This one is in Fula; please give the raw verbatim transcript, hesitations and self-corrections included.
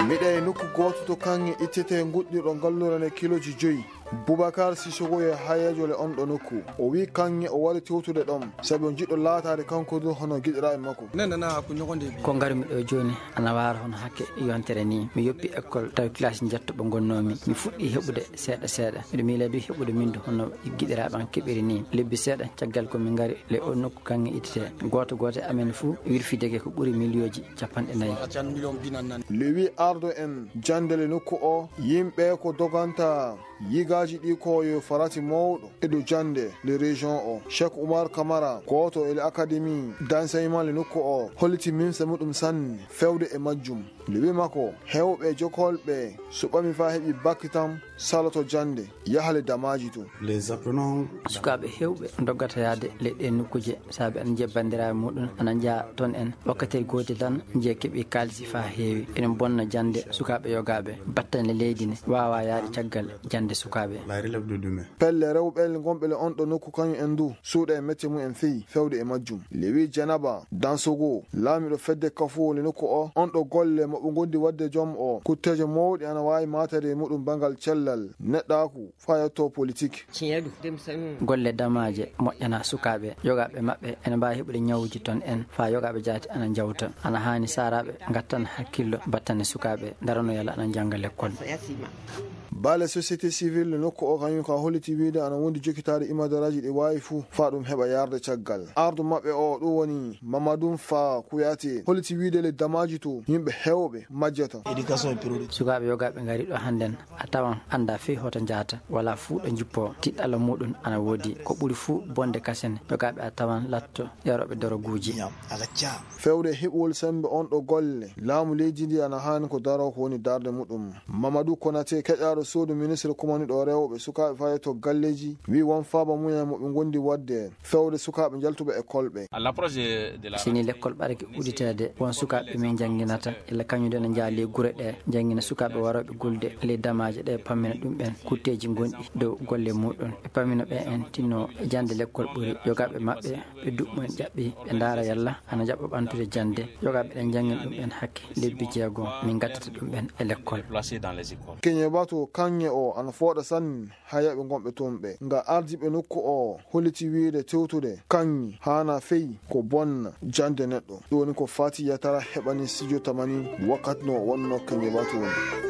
Miɗo e nokku gooto to kaŋŋe ittetee nguɗɗirɗo ngalluure nde kilooji joyi. Boubacar Sissoko yo hayeejo le on ɗo nokku. O wiyi kaŋŋe o wari tewtude ɗon, sabi o jiɗɗo laataade kanko du hono giɗiraaɓe makko. Ko ngarmi ɗo jooni ana waara hono hakke yontere ni. Mi yoppi école tawi classe njetto ɓe ngonnoomi. Mi fuɗɗi heɓude seeɗa seeɗa. Miɗo miila du heɓude min du hono giɗiraaɓe an keɓiri ni. Lebbi seeɗa caggal ko min ngari le o nokku kaŋŋe ittete. Gooto gooto e amen fuu wirfidege ko ɓuri miliyooji capanɗe nayi. Le wi ardo en jannde le nokku o, yimɓe ko doganta yigaaji ɗi ko yo farati mawɗo e dow jannde le région o. Cheikh Oumar Kamara, gooto e le académie d'enseignement le nokku o, holliti mimse muɗum sanne fewde e majjum. Le wi makko, heewɓe jokolɓe suɓami faa heɓi bakki tan saloto jannde, yaha le damaaji to. Les apprenants. Sukaaɓe heewɓe ndoggata yahde le ɗee nokkuuje, saabe ana njiya banndiraaɓe muɗum ana njaha toon en. Wakkati gootel tan njiya keɓi kaalisi faa heewi. Ene bonna jannde sukaaɓe yogaaɓe. Battane leydi ne waawaa yahde caggal jannde sukaaɓe. La relève de demain. Pelle rewɓe le ngonɓe le on ɗo nokku kañum en du suuɗa e mette mum en feyi fewde e majjum. Le wi Janaba Dansogo, laamiiɗo fedde Kafo le nokku o, on ɗo golle mo ɓe ngondi waɗde joom o. Kutteeje mawɗe ana waawi maataade e muɗum banngal cellal, neɗɗaaku, faa yetto politik. Golle damaaje moƴƴana sukaaɓe, yogaaɓe maɓɓe ene mbaawi heɓude ñawuuji toon en, faa yogaaɓe jaati ana njawta. Ana haani saaraaɓe ngattana hakkillo battane sukaaɓe, ndarano yalla ana njannga lekkol. Baale société civile nokku o kañum ka holliti wiyde ana wondi jokkitaade imadaraaji ɗi waawi fuu faa ɗum heɓa yaarde caggal. Ardu maɓɓe o ɗum woni Mamadou Fa Kouyaté holliti wiyde le damaaji to yimɓe heewɓe majjata. Sukaaɓe yogaaɓe ngari ɗo hannden a tawan annda fey hoto njahata, wala fuu ɗo njippo, tiɗɗalla muɗum ana woodi. Ko ɓuri fuu bonde kasen yogaaɓe a tawan latto yarooɓe doroguuji. Fewde heɓugol semmbe on ɗo golle, laamu leydi ndi ana haani ko daroo ko woni darnde muɗum. Mamadou Konaté, keƴaaɗo suudu ministre kumaniiɗo rewɓe, sukaaɓe fayee to galleeji, wiyi won faaba mumen mo ɓe ngondi waɗde fewde sukaaɓe njaltuɓe e kolɓe. Si ni lekkol ɓarake udditeede, won sukaaɓe min njannginata, illa kañum de no njaha ley gure ɗe, njanngina sukaaɓe warooɓe gulde ley damaaje ɗe, pammina ɗum ɓen kutteeji ngonɗi dow golle muɗum. Ɓe pammina ɓe en tinno jannde lekkol ɓuri yogaaɓe maɓɓe. Ɓe duɓɓu en ƴaɓɓi, ɓe ndaara yalla ana jaɓɓa ɓantude jannde. Yogaaɓe ɗen njanngin ɗum ɓen hakke lebbi jeego, min ngaddata ɗum ɓen e lekkol. Keñe batu kaŋŋe o ana fooɗa sanne haa yaɓe ngonɓe toon ɓe. Nga ardiiɓe nokku o holliti wiyde tewtude kaŋŋe haana fey ko bonna jannde neɗɗo. Ɗum woni ko Fati Yatara heɓani studio Tamani wakkati no wonno keñe batu woni.